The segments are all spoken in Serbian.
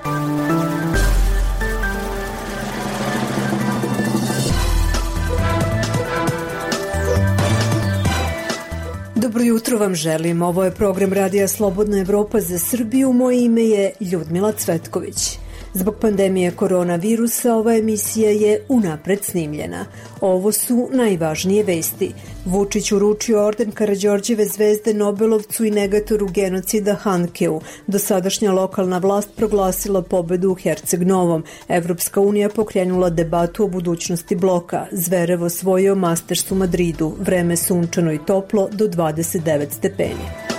Dobro jutro vam želim. Ovo je program Radija Slobodna Evropa za Srbiju. Moje ime je Ljudmila Cvetković. Zbog pandemije koronavirusa ova emisija je unapred snimljena. Ovo su najvažnije vesti. Vučić uručio orden Karađorđeve zvezde Nobelovcu i negatoru genocida Hankeu. Dosadašnja lokalna vlast proglasila pobedu u Herceg-Novom. Evropska unija pokrenula debatu o budućnosti bloka. Zverev osvojio Masters u Madridu. Vreme sunčano i toplo do 29 stepeni.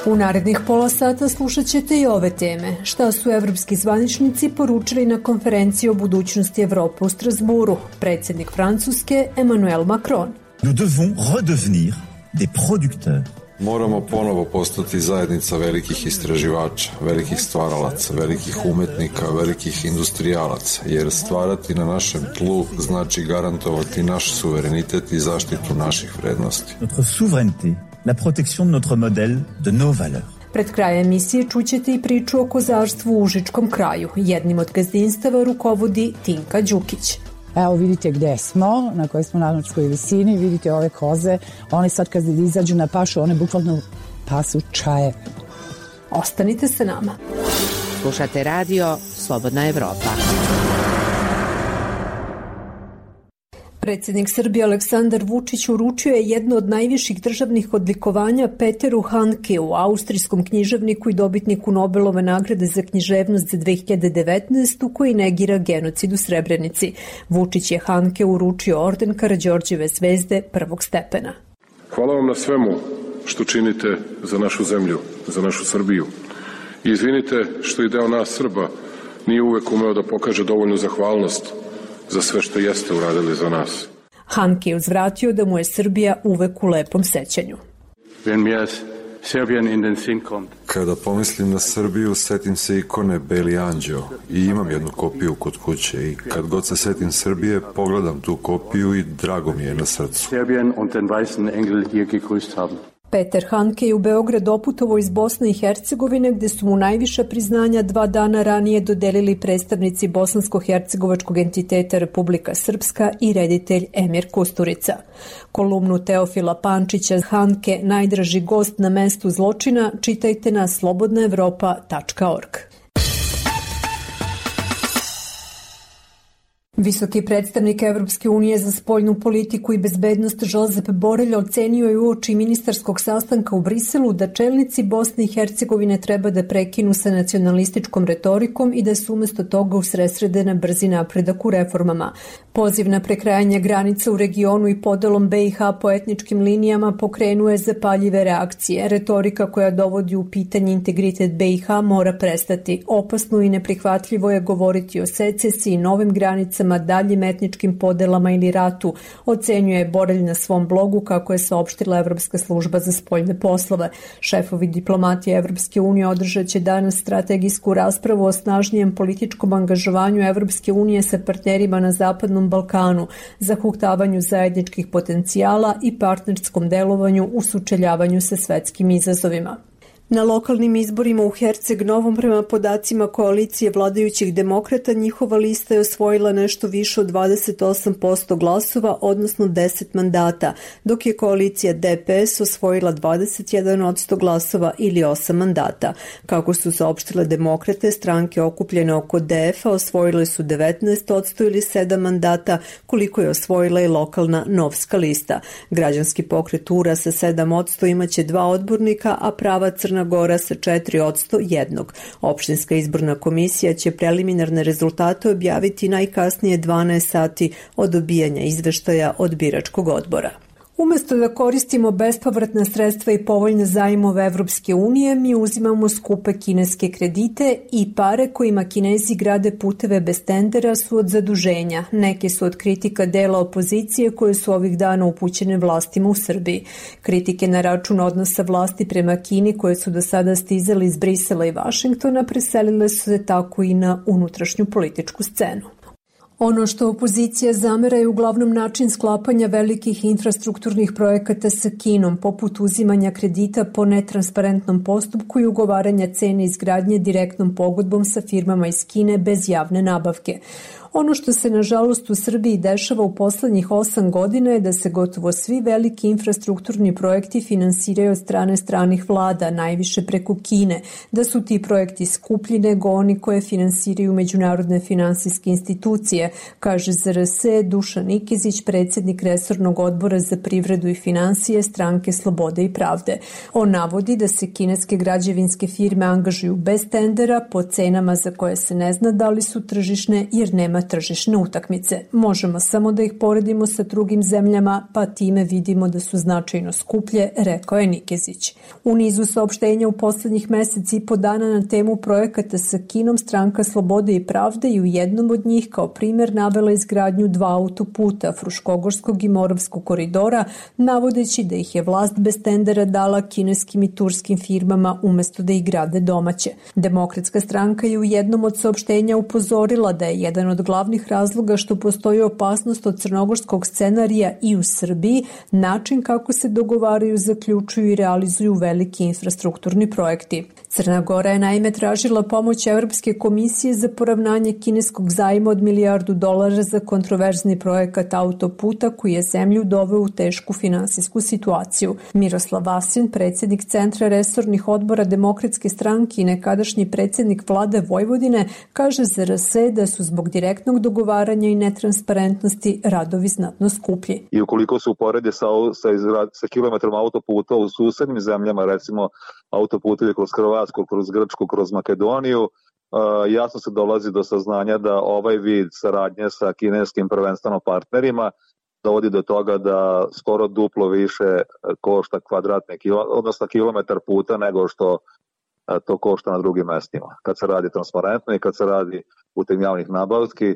U narednih pola sata slušat ćete i ove teme. Šta su evropski zvaničnici poručili na konferenciji o budućnosti Evrope u Strasburu? Predsjednik Francuske Emmanuel Macron. Nous devons redevenir des producteurs. Moramo ponovo postati zajednica velikih istraživača, velikih stvaralaca, velikih umetnika, velikih industrijalaca, jer stvarati na našem tlu znači garantovati naš suverenitet i zaštitu naših vrednosti. Notre souveraineté, la protection de notre modèle, de nos valeurs. Pred krajem emisije čućete i priču o kozarstvu u Užičkom kraju. Jednim od gazdinstava rukovodi Tinka Đukić. Evo vidite gde smo, na kojoj smo nadmorskoj visini, vidite ove koze, one sad kad izađu na pašu, one bukvalno pasu čaje. Ostanite sa nama. Slušate radio Slobodna Evropa. Predsjednik Srbije Aleksandar Vučić uručio je jedno od najviših državnih odlikovanja Peteru Hankeu, austrijskom književniku i dobitniku Nobelove nagrade za književnost za 2019. koji negira genocid u Srebrenici. Vučić je Hankeu uručio orden Karađorđeve zvezde prvog stepena. Hvala vam na svemu što činite za našu zemlju, za našu Srbiju. I izvinite što i deo nas Srba nije uvek umeo da pokaže dovoljnu zahvalnost za sve što jeste uradili za nas. Hanke je uzvratio da mu je Srbija uvek u lepom sećanju. Kada pomislim na Srbiju, setim se ikone Beli anđeo i imam jednu kopiju kod kuće i kad god se setim Srbije, pogledam tu kopiju i drago mi je na srcu. Peter Hanke je u Beograd doputovao iz Bosne i Hercegovine, gde su mu najviša priznanja 2 dana ranije dodelili predstavnici bosansko-hercegovačkog entiteta Republika Srpska i reditelj Emir Kusturica. Kolumnu Teofila Pančića Hanke, najdraži gost na mestu zločina, čitajte na slobodnaevropa.org. Visoki predstavnik Evropske unije za spoljnu politiku i bezbednost Josep Borrell ocenio je uoči ministarskog sastanka u Briselu da čelnici Bosne i Hercegovine treba da prekinu sa nacionalističkom retorikom i da se umesto toga usredsrede na brzi napredak u reformama. Poziv na prekrajanje granica u regionu i podelom BiH po etničkim linijama pokrenuo je zapaljive reakcije. Retorika koja dovodi u pitanje integritet BiH mora prestati. Opasno i neprihvatljivo je govoriti o secesiji, novim granicama, daljim etničkim podelama ili ratu, ocenjuje Borrell na svom blogu, kako je saopštila Evropska služba za spoljne poslove. Šefovi diplomatije Evropske unije održat će danas strategijsku raspravu o snažnijem političkom angažovanju Evropske unije sa partnerima na Zapadnom Balkanu, zahuktavanju zajedničkih potencijala i partnerskom delovanju u sučeljavanju sa svetskim izazovima. Na lokalnim izborima u Herceg-Novom, prema podacima koalicije vladajućih demokrata, njihova lista je osvojila nešto više od 28% glasova, odnosno 10 mandata, dok je koalicija DPS osvojila 21% glasova ili 8 mandata. Kako su saopštile demokrate, stranke okupljene oko DF-a osvojile su 19% ili 7 mandata, koliko je osvojila i lokalna Novska lista. Građanski pokret URA sa 7% imaće 2 odbornika, a Prava Crna Gora sa 4% jednog. Opštinska izborna komisija će preliminarne rezultate objaviti najkasnije 12 sati od dobijanja izveštaja od biračkog odbora. Umesto da koristimo bespovratna sredstva i povoljne zajmove Evropske unije, mi uzimamo skupe kineske kredite i pare kojima Kinezi grade puteve bez tendera su od zaduženja. Neke su od kritika dela opozicije koje su ovih dana upućene vlastima u Srbiji. Kritike na račun odnosa vlasti prema Kini koje su do sada stizali iz Brisela i Vašingtona preselile su se tako i na unutrašnju političku scenu. Ono što opozicija zamera je uglavnom način sklapanja velikih infrastrukturnih projekata sa Kinom, poput uzimanja kredita po netransparentnom postupku i ugovaranja cene izgradnje direktnom pogodbom sa firmama iz Kine bez javne nabavke. Ono što se nažalost u Srbiji dešava u poslednjih 8 godina je da se gotovo svi veliki infrastrukturni projekti finansiraju od strane stranih vlada, najviše preko Kine, da su ti projekti skuplji nego oni koje finansiraju međunarodne finansijske institucije, kaže za RS Dušan Nikezić, predsjednik resornog odbora za privredu i finansije Stranke Slobode i pravde. On navodi da se kineske građevinske firme angažuju bez tendera po cenama za koje se ne zna da li su tržišne jer nema tržišne utakmice. Možemo samo da ih poredimo sa drugim zemljama, pa time vidimo da su značajno skuplje, rekao je Nikezić. U nizu saopštenja u poslednjih meseci i po dana na temu projekata sa Kinom, Stranka Slobode i pravde i u jednom od njih kao primjer navela izgradnju 2 autoputa, Fruškogorskog i Moravskog koridora, navodeći da ih je vlast bez tendera dala kineskim i turskim firmama umesto da ih grade domaće. Demokratska stranka je u jednom od saopštenja upozorila da je jedan od glavnih razloga što postoji opasnost od crnogorskog scenarija i u Srbiji način kako se dogovaraju, zaključuju i realizuju veliki infrastrukturni projekti. Crna Gora je naime tražila pomoć Evropske komisije za poravnanje kineskog zajma od $1 milijardu za kontroverzni projekat autoputa koji je zemlju doveo u tešku finansijsku situaciju. Miroslav Vasin, predsjednik Centra resornih odbora Demokratske stranke i nekadašnji predsjednik vlade Vojvodine, kaže za RS da su zbog direktnog dogovaranja i netransparentnosti radovi znatno skuplji. I ukoliko se uporede sa kilometrom autoputa u susednim zemljama, recimo autoputevi kroz Hrvatsku, kroz Grčku, kroz Makedoniju, jasno se dolazi do saznanja da ovaj vid saradnje sa kineskim prvenstveno partnerima dovodi do toga da skoro duplo više košta odnosno kilometar puta nego što to košta na drugim mestima. Kad se radi transparentno i kad se radi putem javnih nabavki,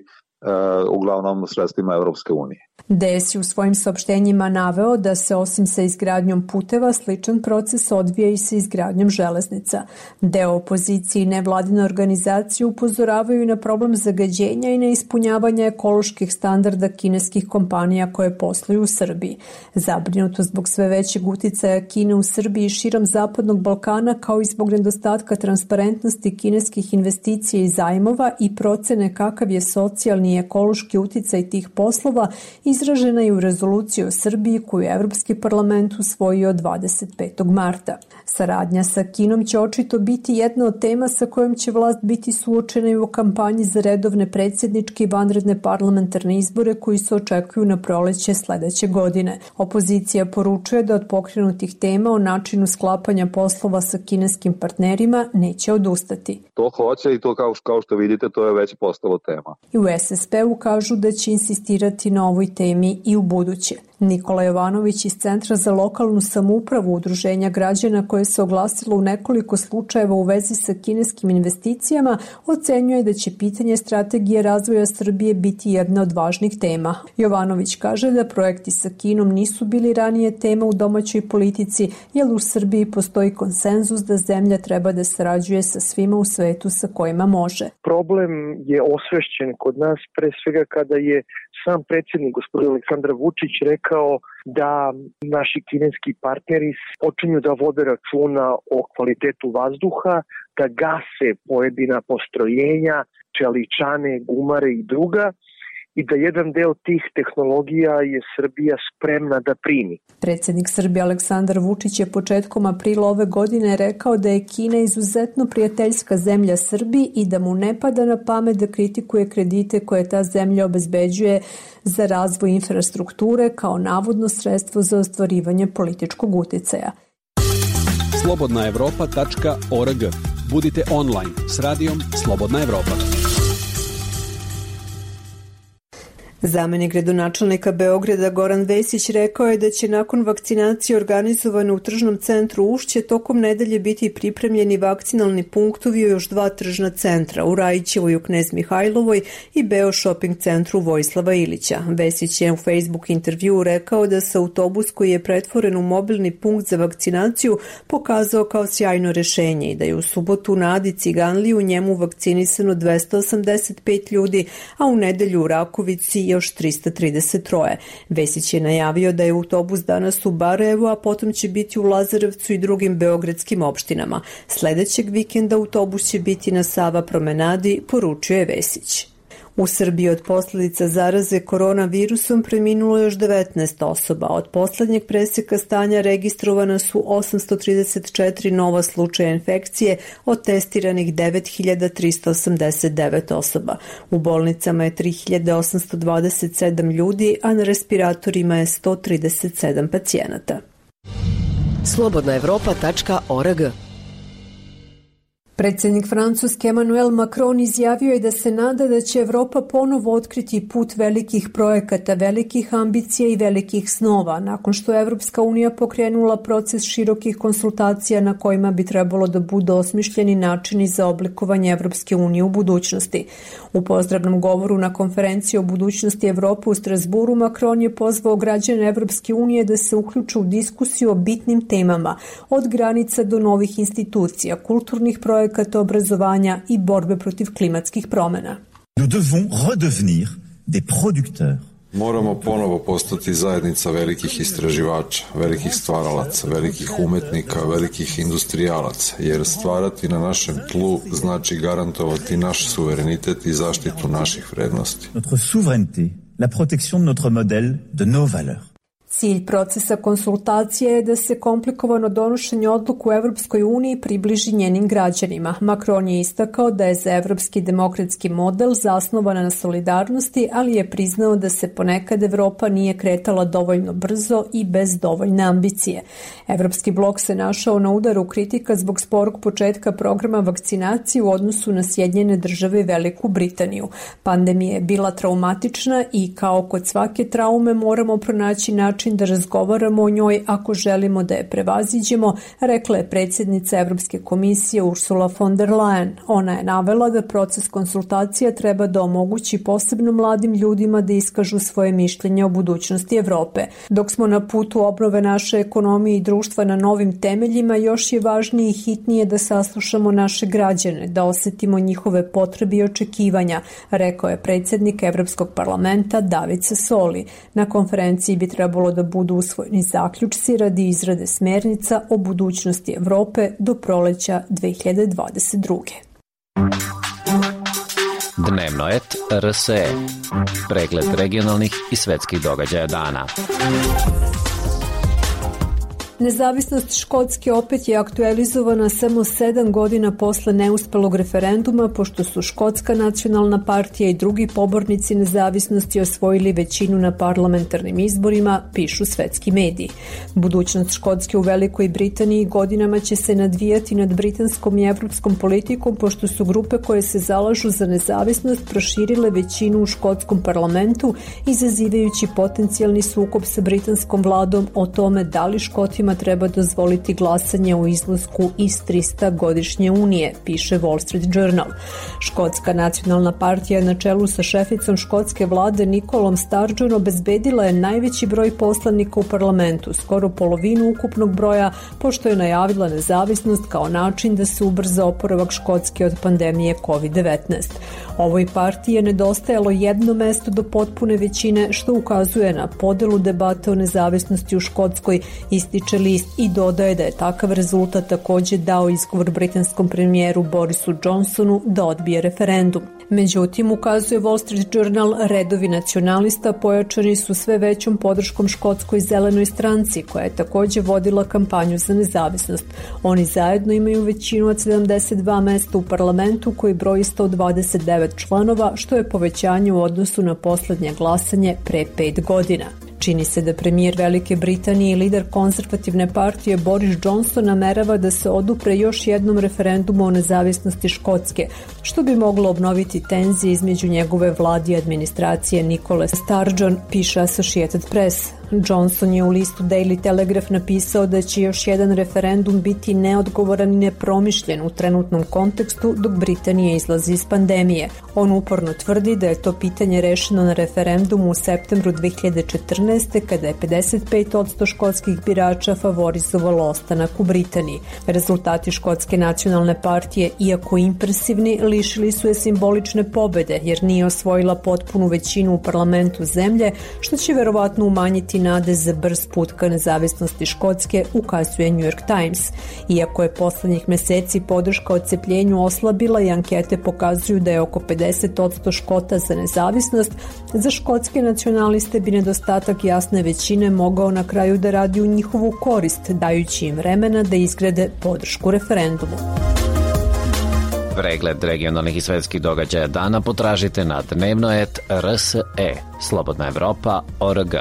uglavnom sredstvima Evropske unije. DS je u svojim saopštenjima naveo da se osim sa izgradnjom puteva sličan proces odvija i sa izgradnjom železnica. Deo opozicije i nevladine organizacije upozoravaju na problem zagađenja i neispunjavanja ekoloških standarda kineskih kompanija koje posluju u Srbiji. Zabrinuto zbog sve većeg uticaja Kine u Srbiji i širom Zapadnog Balkana, kao i zbog nedostatka transparentnosti kineskih investicija i zajmova i procene kakav je socijalni i ekološki uticaj tih poslova, izražena je u rezoluciji o Srbiji koju je Evropski parlament usvojio 25. marta. Saradnja sa Kinom će očito biti jedna od tema sa kojom će vlast biti suočena i u kampanji za redovne predsjedničke i vanredne parlamentarne izbore koji se očekuju na proleće sledeće godine. Opozicija poručuje da od pokrenutih tema o načinu sklapanja poslova sa kineskim partnerima neće odustati. To hoće i to kao što vidite to je već postalo tema. I u SSP-u kažu da će insistirati na ovoj temi i u buduće. Nikola Jovanović iz Centra za lokalnu samoupravu Udruženja građana koje se oglasilo u nekoliko slučajeva u vezi sa kineskim investicijama ocenjuje da će pitanje strategije razvoja Srbije biti jedna od važnih tema. Jovanović kaže da projekti sa Kinom nisu bili ranije tema u domaćoj politici, jer u Srbiji postoji konsenzus da zemlja treba da sarađuje sa svima u svetu sa kojima može. Problem je osvešćen kod nas pre svega kada je sam predsjednik gospodin Aleksandar Vučić rekao da naši kineski partneri počinju da vode računa o kvalitetu vazduha, da gase pojedina postrojenja, čeličane, gumare i druga, i da jedan deo tih tehnologija je Srbija spremna da primi. Predsjednik Srbije Aleksandar Vučić je početkom aprila ove godine rekao da je Kina izuzetno prijateljska zemlja Srbiji i da mu ne pada na pamet da kritikuje kredite koje ta zemlja obezbeđuje za razvoj infrastrukture kao navodno sredstvo za ostvarivanje političkog uticaja. slobodnaevropa.org. Budite online s radijom Slobodna Evropa. Zamenik gradonačelnika Beograda Goran Vesić rekao je da će nakon vakcinacije organizovane u tržnom centru Ušće tokom nedelje biti pripremljeni vakcinalni punktovi u još 2 tržna centra, u Rajićevoj u Knez Mihajlovoj i Beo shopping centru Vojislava Ilića. Vesić je u Facebook intervjuu rekao da se autobus koji je pretvoren u mobilni punkt za vakcinaciju pokazao kao sjajno rešenje i da je u subotu na Adi Ciganliji u njemu vakcinisano 285 ljudi, a u nedelju u Rakovici još 333. Vesić je najavio da je autobus danas u Barajevu, a potom će biti u Lazarevcu i drugim beogradskim opštinama. Sledećeg vikenda autobus će biti na Sava promenadi, poručio je Vesić. U Srbiji od posljedica zaraze koronavirusom preminulo još 19 osoba. Od poslednjeg preseka stanja registrovana su 834 nova slučaja infekcije, od testiranih 9389 osoba. U bolnicama je 3827 ljudi, a na respiratorima je 137 pacijenata. slobodnaevropa.org. Predsjednik Francuske Emmanuel Macron izjavio je da se nada da će Evropa ponovo otkriti put velikih projekata, velikih ambicija i velikih snova, nakon što je Evropska unija pokrenula proces širokih konsultacija na kojima bi trebalo da budu osmišljeni načini za oblikovanje Evropske unije u budućnosti. U pozdravnom govoru na konferenciji o budućnosti Evrope u Strasburu, Macron je pozvao građane Evropske unije da se uključe u diskusiju o bitnim temama, od granica do novih institucija, kulturnih projekata, obrazovanja i borbe protiv klimatskih promjena. Nous devons redevenir des producteurs. Moramo ponovo postati zajednica velikih istraživača, velikih stvaralaca, velikih umetnika, velikih industrijalaca, jer stvarati na našem tlu znači garantovati naš suverenitet i zaštitu naših vrednosti. Notre souveraineté, la protection de notre modèle, de nos valeurs. Cilj procesa konsultacije je da se komplikovano donošenje odluka u Evropskoj uniji približi njenim građanima. Macron je istakao da je za evropski demokratski model zasnovana na solidarnosti, ali je priznao da se ponekad Evropa nije kretala dovoljno brzo i bez dovoljne ambicije. Evropski blok se našao na udaru kritika zbog sporog početka programa vakcinacije u odnosu na Sjedinjene Države i Veliku Britaniju. Pandemija je bila traumatična i kao kod svake traume moramo pronaći način da razgovaramo o njoj ako želimo da je prevaziđemo, rekla je predsjednica Evropske komisije Ursula von der Leyen. Ona je navela da proces konsultacija treba da omogući posebno mladim ljudima da iskažu svoje mišljenje o budućnosti Evrope. Dok smo na putu obnove naše ekonomije i društva na novim temeljima, još je važnije i hitnije da saslušamo naše građane, da osetimo njihove potrebe i očekivanja, rekao je predsjednik Evropskog parlamenta David Sassoli. Na konferenciji bi trebalo da budu usvojeni zaključci radi izrade smernica o budućnosti Evrope do proleća 2022. Dnevno et RSE. Pregled regionalnih i svetskih događaja dana. Nezavisnost Škotske opet je aktualizovana samo 7 godina posle neuspelog referenduma, pošto su Škotska nacionalna partija i drugi pobornici nezavisnosti osvojili većinu na parlamentarnim izborima, pišu svetski mediji. Budućnost Škotske u Velikoj Britaniji godinama će se nadvijati nad britanskom i evropskom politikom, pošto su grupe koje se zalažu za nezavisnost proširile većinu u škotskom parlamentu, izazivajući potencijalni sukob sa britanskom vladom o tome da li Škotima treba dozvoliti glasanje o izlasku iz 300-godišnje unije, piše Wall Street Journal. Škotska nacionalna partija na čelu sa šeficom škotske vlade Nicolom Sturgeon obezbedila je najveći broj poslanika u parlamentu, skoro polovinu ukupnog broja, pošto je najavila nezavisnost kao način da se ubrza oporavak Škotske od pandemije COVID-19. Ovoj partiji je nedostajalo jedno mesto do potpune većine, što ukazuje na podelu debate o nezavisnosti u Škotskoj, ističe list i dodaje da je takav rezultat također dao izgovor britanskom premijeru Borisu Johnsonu da odbije referendum. Međutim, ukazuje Wall Street Journal, redovi nacionalista pojačani su sve većom podrškom Škotskoj zelenoj stranci, koja je također vodila kampanju za nezavisnost. Oni zajedno imaju većinu od 72 mesta u parlamentu koji broji 129 članova, što je povećanje u odnosu na poslednje glasanje pre 5 godina. Čini se da premijer Velike Britanije i lider konzervativne partije Boris Johnson namerava da se odupre još jednom referendumu o nezavisnosti Škotske, što bi moglo obnoviti tenzije između njegove vlade i administracije Nikole Sturgeon, piše Associated Press. Johnson je u listu Daily Telegraph napisao da će još jedan referendum biti neodgovoran i nepromišljen u trenutnom kontekstu dok Britanija izlazi iz pandemije. On uporno tvrdi da je to pitanje rešeno na referendumu u septembru 2014. kada je 55% škotskih birača favorizovalo ostanak u Britaniji. Rezultati Škotske nacionalne partije, iako impresivni, lišili su je simbolične pobede jer nije osvojila potpunu većinu u parlamentu zemlje, što će verovatno umanjiti nade za brz put ka nezavisnosti Škotske, ukazuje New York Times. Iako je poslednjih meseci podrška odcepljenju oslabila i ankete pokazuju da je oko 50% Škota za nezavisnost, za škotske nacionaliste bi nedostatak jasne većine mogao na kraju da radi u njihovu korist, dajući im vremena da izgrade podršku referendumu. Pregled regionalnih i svetskih događaja dana potražite na dnevnoet.rse, slobodnaevropa.org.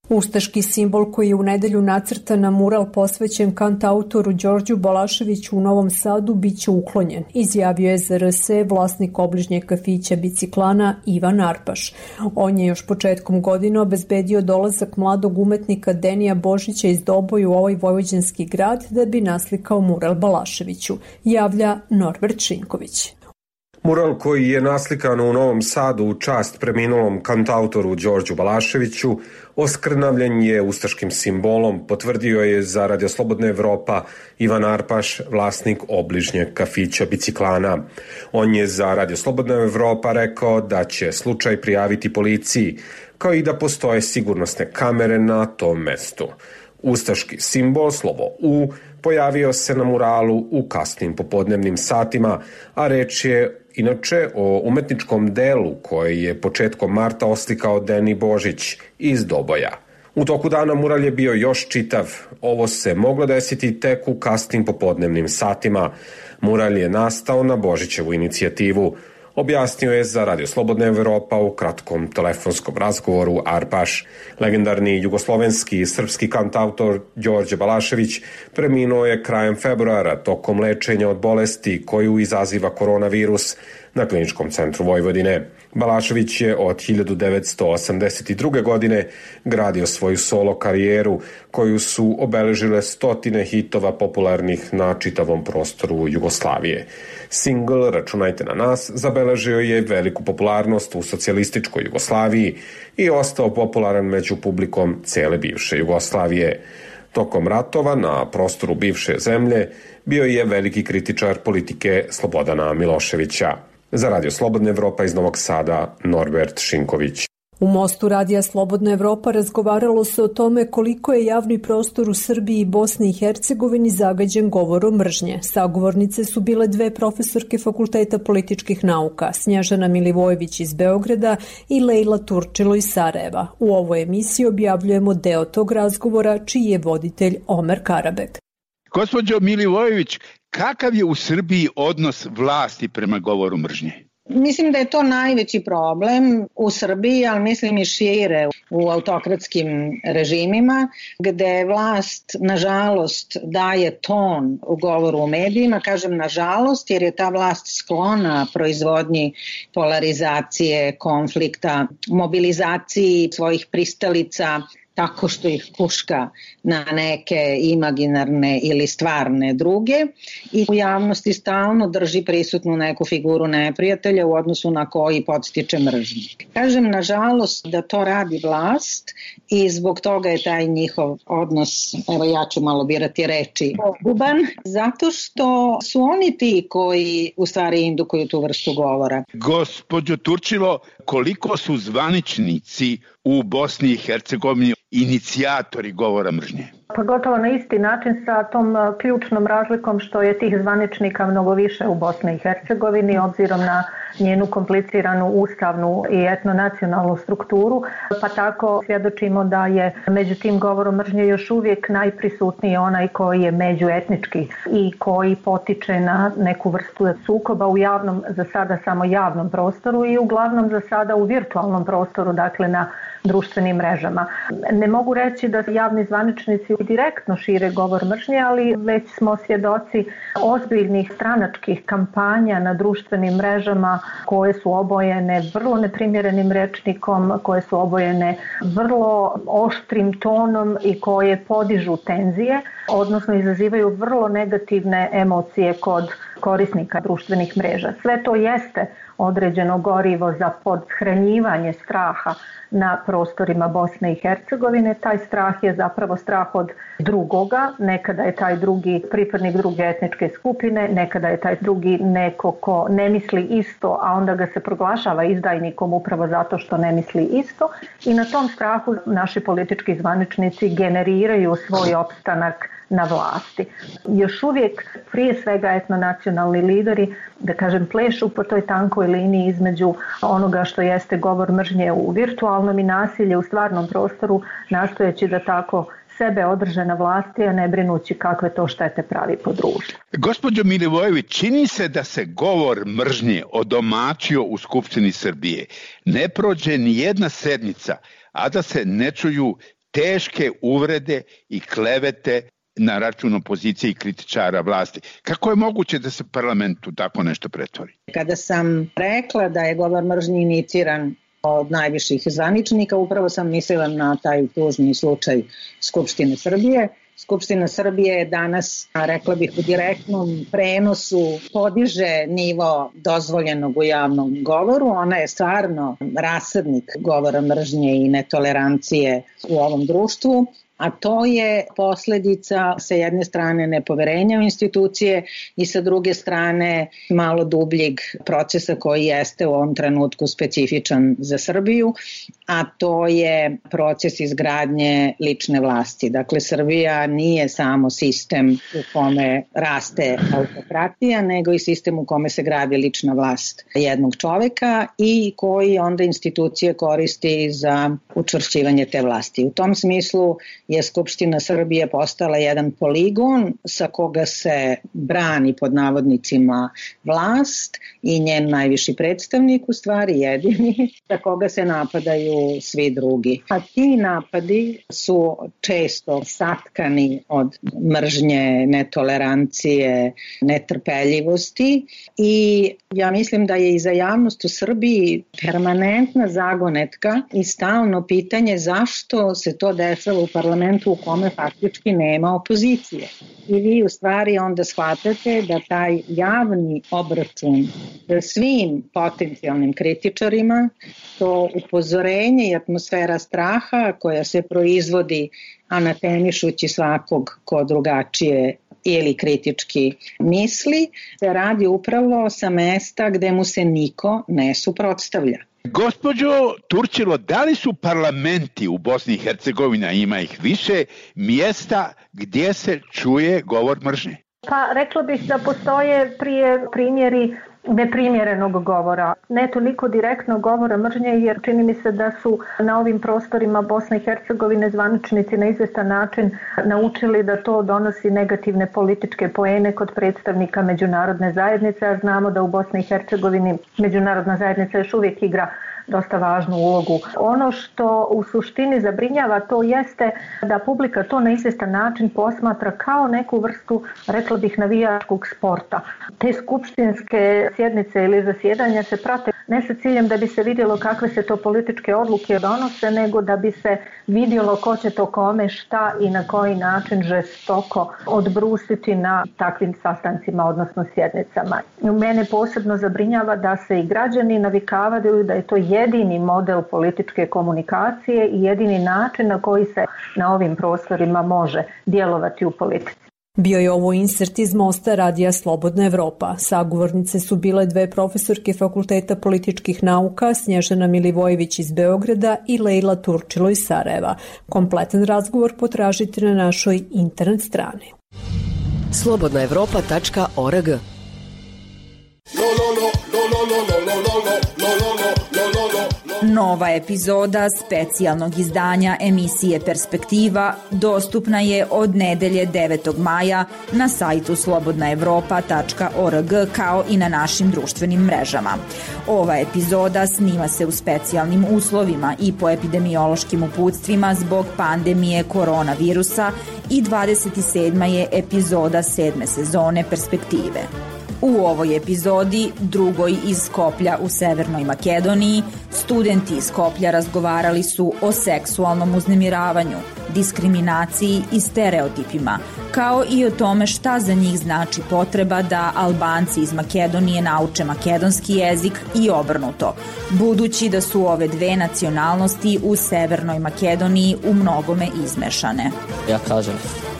Ustaški simbol koji je u nedelju nacrtan na mural posvećen kantautoru Đorđu Balaševiću u Novom Sadu biće uklonjen, izjavio je za RSE vlasnik obližnjeg kafića Biciklana Ivan Arpaš. On je još početkom godine obezbedio dolazak mladog umetnika Denija Božića iz Doboja u ovaj vojvođanski grad da bi naslikao mural Balaševiću, javlja Norbert Šinković. Mural koji je naslikan u Novom Sadu u čast preminulom kantautoru Đorđu Balaševiću oskrnavljen je ustaškim simbolom, potvrdio je za Radio Slobodna Evropa Ivan Arpaš, vlasnik obližnjeg kafića Biciklana. On je za Radio Slobodna Evropa rekao da će slučaj prijaviti policiji, kao i da postoje sigurnosne kamere na tom mestu. Ustaški simbol, slovo U, pojavio se na muralu u kasnim popodnevnim satima, a reč je inače o umetničkom delu koje je početkom marta oslikao Deni Božić iz Doboja. U toku dana mural je bio još čitav. Ovo se moglo desiti tek u kasnim popodnevnim satima. Mural je nastao na Božićevu inicijativu, objasnio je za Radio Slobodna Evropa u kratkom telefonskom razgovoru Arpaš. Legendarni jugoslovenski i srpski kantautor Đorđe Balašević preminuo je krajem februara tokom lečenja od bolesti koju izaziva koronavirus na Kliničkom centru Vojvodine. Balašević je od 1982. godine gradio svoju solo karijeru koju su obeležile stotine hitova popularnih na čitavom prostoru Jugoslavije. Singl Računajte na nas zabeležio je veliku popularnost u socijalističkoj Jugoslaviji i ostao popularan među publikom cele bivše Jugoslavije. Tokom ratova na prostoru bivše zemlje bio je veliki kritičar politike Slobodana Miloševića. Za Radio Slobodna Evropa iz Novog Sada, Norbert Šinković. U Mostu Radija Slobodna Evropa razgovaralo se o tome koliko je javni prostor u Srbiji i Bosni i Hercegovini zagađen govorom mržnje. Sagovornice su bile dve profesorke Fakulteta političkih nauka, Snježana Milivojević iz Beograda i Lejla Turčilo iz Sarajeva. U ovoj emisiji objavljujemo deo tog razgovora, čiji je voditelj Omer Karabek. Gospođo Milivojević, kakav je u Srbiji odnos vlasti prema govoru mržnje? Mislim da je to najveći problem u Srbiji, ali mislim i šire u autokratskim režimima, gde vlast, nažalost, daje ton u govoru u medijima. Kažem nažalost, jer je ta vlast sklona proizvodnji polarizacije, konflikta, mobilizaciji svojih pristalica, tako što ih kuška na neke imaginarne ili stvarne druge i u javnosti stalno drži prisutnu neku figuru neprijatelja u odnosu na koji podstiče mržnju. Kažem, nažalost, da to radi vlast i zbog toga je taj njihov odnos, evo ja ću malo birati reči, poguban, zato što su oni ti koji u stvari indukuju tu vrstu govora. Gospođo Turčilo, koliko su zvaničnici u Bosni i Hercegovini inicijatori govora mržnje? Pa gotovo na isti način sa tom ključnom razlikom što je tih zvaničnika mnogo više u Bosni i Hercegovini obzirom na njenu kompliciranu ustavnu i etnonacionalnu strukturu, pa tako svjedočimo da je među tim govorom mržnje još uvijek najprisutniji onaj koji je međuetnički i koji potiče na neku vrstu sukoba u javnom, za sada samo javnom prostoru i uglavnom za sada u virtualnom prostoru, dakle na društvenim mrežama. Ne mogu reći da javni zvaničnici direktno šire govor mržnje, ali već smo svjedoci ozbiljnih stranačkih kampanja na društvenim mrežama koje su obojene vrlo neprimjerenim rečnikom, koje su obojene vrlo oštrim tonom i koje podižu tenzije, odnosno izazivaju vrlo negativne emocije kod korisnika društvenih mreža. Sve to jeste određeno gorivo za podhranjivanje straha na prostorima Bosne i Hercegovine. Taj strah je zapravo strah od drugoga, nekada je taj drugi pripadnik druge etničke skupine, nekada je taj drugi neko ko ne misli isto, a onda ga se proglašava izdajnikom upravo zato što ne misli isto. I na tom strahu naši politički zvaničnici generiraju svoj opstanak na vlasti. Još uvijek prije svega etnonacionalni lideri, da kažem, plešu po toj tankoj liniji između onoga što jeste govor mržnje u virtualnom i nasilje u stvarnom prostoru, nastojeći da tako sebe održe na vlasti, a ne brinući kakve to štete pravi po društvu. Gospođo Milivojević, čini se da se govor mržnje odomaćio u Skupštini Srbije. Ne prođe ni jedna sednica, a da se ne čuju teške uvrede i klevete na račun opozicije i kritičara vlasti. Kako je moguće da se parlamentu tako nešto pretvori? Kada sam rekla da je govor mržnje iniciran od najviših zvaničnika, upravo sam mislila na taj tužni slučaj Skupštine Srbije. Skupština Srbije je danas, rekla bih, u direktnom prenosu podiže nivo dozvoljenog u javnom govoru. Ona je stvarno rasadnik govora mržnje i netolerancije u ovom društvu, a to je posljedica sa jedne strane nepoverenja u institucije i sa druge strane malo dubljeg procesa koji jeste u ovom trenutku specifičan za Srbiju, a to je proces izgradnje lične vlasti. Dakle, Srbija nije samo sistem u kome raste autokratija, nego i sistem u kome se gradi lična vlast jednog čoveka i koji onda institucije koristi za učvršćivanje te vlasti. U tom smislu je Skupština Srbije postala jedan poligon sa koga se brani pod navodnicima vlast i njen najviši predstavnik, u stvari jedini, sa koga se napadaju svi drugi. A ti napadi su često satkani od mržnje, netolerancije, netrpeljivosti i ja mislim da je i za javnost u Srbiji permanentna zagonetka i stalno pitanje zašto se to dešava u parlamentu u kome faktički nema opozicije. I vi u stvari onda shvatate da taj javni obračun svim potencijalnim kritičarima, to upozorenje i atmosfera straha koja se proizvodi anatemišući svakog ko drugačije ili kritički misli, se radi upravo sa mesta gde mu se niko ne suprotstavlja. Gospođo Turčilo, da li su parlamenti u Bosni i Hercegovini, a ima ih više, mjesta gdje se čuje govor mržnje? Pa rekla bih da postoje primjeri neprimjerenog govora. Ne toliko direktno govora mržnje, jer čini mi se da su na ovim prostorima Bosne i Hercegovine zvaničnici na izvestan način naučili da to donosi negativne političke poene kod predstavnika međunarodne zajednice, a znamo da u Bosni i Hercegovini međunarodna zajednica još uvijek igra dosta važnu ulogu. Ono što u suštini zabrinjava to jeste da publika to na izvjestan način posmatra kao neku vrstu, rekla bih, navijačkog sporta. Te skupštinske sjednice ili zasjedanja se prate ne sa ciljem da bi se vidjelo kakve se to političke odluke donose, nego da bi se vidjelo ko će to kome, šta i na koji način žestoko odbrusiti na takvim sastancima, odnosno sjednicama. Mene posebno zabrinjava da se i građani navikavaju da je to jedini model političke komunikacije i jedini način na koji se na ovim prostorima može djelovati u politici. Bio je ovo insert iz Mosta radija Slobodna Evropa. Sagovornice su bile dve profesorke Fakulteta političkih nauka, Snježana Milivojević iz Beograda i Lejla Turčilo iz Sarajeva. Kompletan razgovor potražite na našoj internet strani. slobodnaevropa.org. Nova epizoda specijalnog izdanja emisije Perspektiva dostupna je od nedelje 9. maja na sajtu slobodnaevropa.org kao i na našim društvenim mrežama. Ova epizoda snima se u specijalnim uslovima i po epidemiološkim uputstvima zbog pandemije koronavirusa i 27. je epizoda 7. sezone Perspektive. U ovoj epizodi, drugoj iz Skoplja u Severnoj Makedoniji, studenti iz Skoplja razgovarali su o seksualnom uznemiravanju, diskriminaciji i stereotipima, kao i o tome šta za njih znači potreba da Albanci iz Makedonije nauče makedonski jezik i obrnuto, budući da su ove dve nacionalnosti u Severnoj Makedoniji u mnogome izmešane. Ja kažem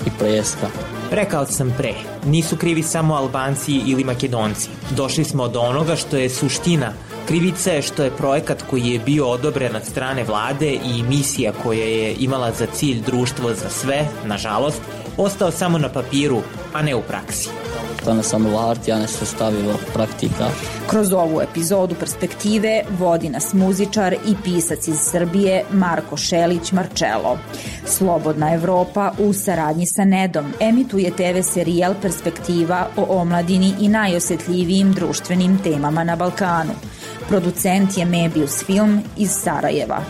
i preska. Rekao sam pre, nisu krivi samo Albanci ili Makedonci. Došli smo do onoga što je suština. Krivica je što je projekat koji je bio odobren od strane vlade i misija koja je imala za cilj društvo za sve, nažalost, ostao samo na papiru, a ne u praksi. To ne samo varti, a ne se stavilo praktika. Kroz ovu epizodu Perspektive vodi nas muzičar i pisac iz Srbije Marko Šelić Marčelo. Slobodna Evropa u saradnji sa Nedom emituje TV serijal Perspektiva o omladini i najosjetljivijim društvenim temama na Balkanu. Producent je Mebius Film iz Sarajeva.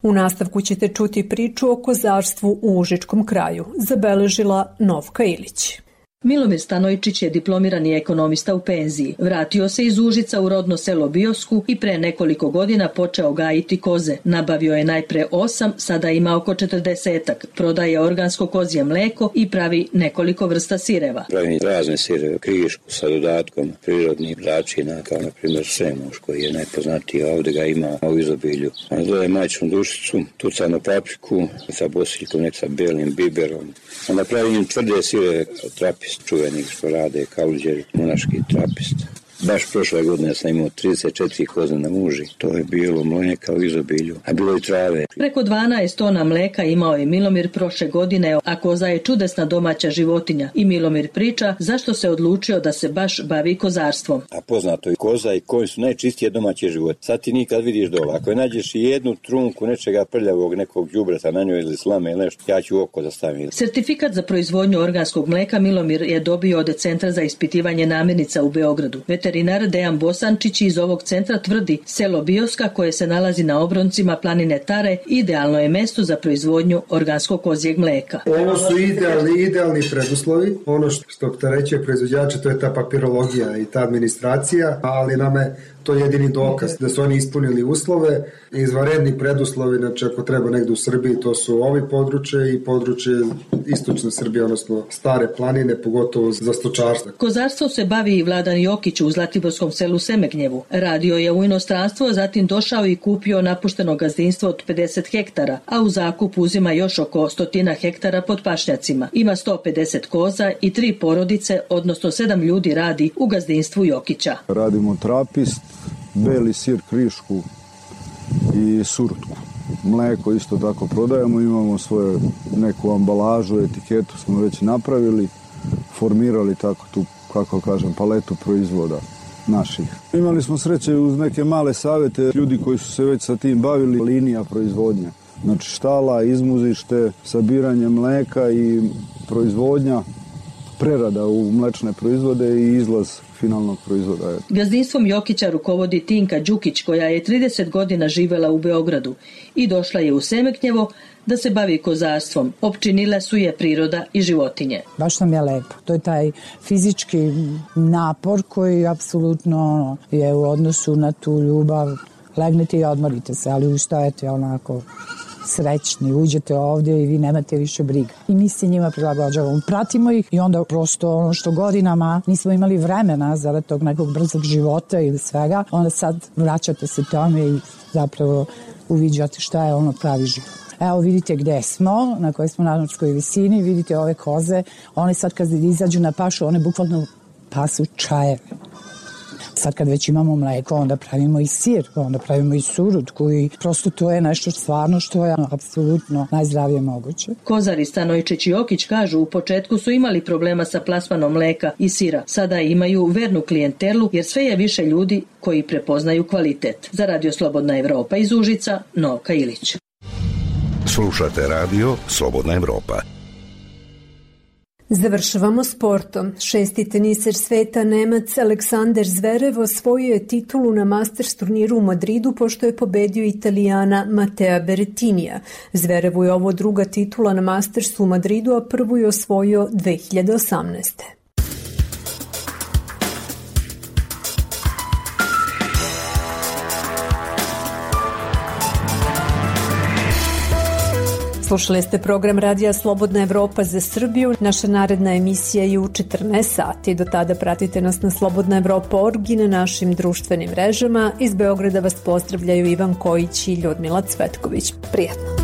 U nastavku ćete čuti priču o kozarstvu u Užičkom kraju, zabeležila Novka Ilić. Milomir Stanojčić je diplomirani ekonomista u penziji. Vratio se iz Užica u rodno selo Biosku i pre nekoliko godina počeo gajiti koze. Nabavio je najpre 8, sada ima oko 40-ak. Prodaje organsko kozje mleko i pravi nekoliko vrsta sireva. Pravim razne sireve, krišku sa dodatkom prirodnih začina, kao na primjer semuš koji je najpoznatiji, a ovdje ga ima u izobilju. On dodaje majčinu dušicu, tucanu papriku sa bosiljkom, nek sa belim biberom. Onda pravim tvrde sireve, trapist čuvenih što rade kaluđeri, monaški trapist. Baš prošle godine sam imao 34 koze na muži. To je bilo mleka u izobilju, a bilo i trave. Preko 12 tona mleka imao je Milomir prošle godine, a koza je čudesna domaća životinja. I Milomir priča zašto se odlučio da se baš bavi kozarstvom. A poznato je koza i konj su najčistije domaće životinje. Sad ti nikad vidiš dole. Ako je nađeš i jednu trunku nečega prljavog, nekog đubreta na njoj ili slame ili nešto, ja ću oko da stavim. Sertifikat za proizvodnju organskog mleka Milomir je dobio od Centra za ispitivanje namirnica u Beogradu. Veterinar Dejan Bosančić iz ovog centra tvrdi selo Bioska koje se nalazi na obroncima planine Tare idealno je mesto za proizvodnju organskog kozjeg mleka. Ovo su idealni preduslovi. Ono što opterećuje proizvođače to je ta papirologija i ta administracija, ali nam je to jedini dokaz da su oni ispunili uslove, izvanredni preduslovi, znači ako treba negde u Srbiji, to su ovi područje i područje istočne Srbije, odnosno stare planine, pogotovo za stočarstvo. Kozarstvo se bavi i Vladan Jokić u zlatiborskom selu Semegnjevu. Radio je u inostranstvo, zatim došao i kupio napušteno gazdinstvo od 50 hektara, a u zakup uzima još oko 100 hektara pod pašnjacima. Ima 150 koza i 3 porodice, odnosno 7 ljudi radi u gazdinstvu Jokića. Radimo trapist, beli sir, krišku i surutku. Mleko isto tako prodajemo, imamo svoju neku ambalažu, etiketu smo već napravili, formirali tako tu, kako kažem, paletu proizvoda naših. Imali smo sreće uz neke male savjete, ljudi koji su se već sa tim bavili, linija proizvodnja. Znači štala, izmuzište, sabiranje mleka i proizvodnja, prerada u mlečne proizvode i izlaz finalnog proizvoda. Gazdinstvom Jokića rukovodi Tinka Đukić koja je 30 godina živela u Beogradu i došla je u Semegnjevo da se bavi kozarstvom. Opčinile su je priroda i životinje. Baš nam je lepo. To je taj fizički napor koji apsolutno je u odnosu na tu ljubav. Legnete i odmorite se, ali ustajete onako srećni, uđete ovdje i vi nemate više briga. I mi se njima prilagođavamo, pratimo ih i onda prosto ono što godinama nismo imali vremena zarad tog nekog brzog života ili svega, onda sad vraćate se tome i zapravo uviđate šta je ono pravi život. Evo vidite gde smo, na kojoj smo nadmorskoj visini, vidite ove koze, one sad kad izađu na pašu, one bukvalno pasu čajeve. Sad kad već imamo mleko, onda pravimo i sir, onda pravimo i surutku i prosto to je nešto stvarno što je apsolutno najzdravije moguće. Kozari Stanojčić i Jokić kažu u početku su imali problema sa plasmanom mleka i sira. Sada imaju vernu klijentelu jer sve je više ljudi koji prepoznaju kvalitet. Za Radio Slobodna Evropa iz Užica, Novka Ilić. Slušate Radio Slobodna Evropa. Završavamo sportom. Šesti teniser sveta Nemac Aleksander Zverev osvojio je titulu na Masters turniru u Madridu pošto je pobedio Italijana Matea Berrettinija. Zverevu je ovo druga titula na Mastersu u Madridu, a prvu je osvojio 2018. Slušali ste program Radija Slobodna Evropa za Srbiju. Naša naredna emisija je u 14 sati. Do tada pratite nas na slobodnaevropa.org i na našim društvenim mrežama. Iz Beograda vas pozdravljaju Ivan Kojić i Ljudmila Cvetković. Prijatno!